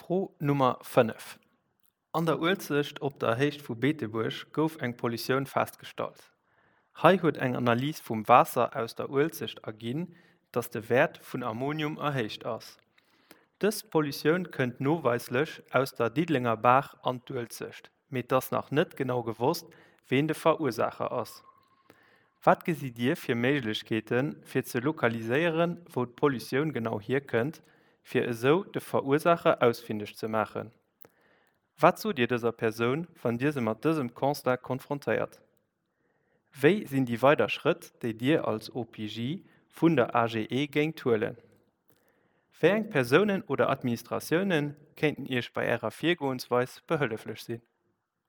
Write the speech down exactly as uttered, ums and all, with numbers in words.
Fro Nummer fënnef, An der Uelzecht op der Héicht vu Beetebuerg gouf eng Pollutioun festgestallt. Hei huet eng Analys vum Waasser aus der Uelzecht erginn, dass de Wäert vun Ammonium erhéicht ass. Dës Pollutioun kënnt noweislech aus der Diddelenger Baach an d'Uelzecht, mee et ass nach net genau gewosst, ween de Verursaacher ass. Wat gesitt Dir fir Méiglechkeeten, fir ze lokaliséieren, wou d'Pollutioun genau hierkënnt, fir esou de Verursaacher ausfindeg ze maachen? Wat sot Dir dëser Persoun, wann Dir se mat dësem Constat konfrontéiert? Wéi sinn déi weider Schrëtt, déi Dir als O P J vun der A G E géingt huelen? Wéi eng Persounen oder Administratioune kéinten Iech bei Ärer Virgoensweis behëlleflech sinn?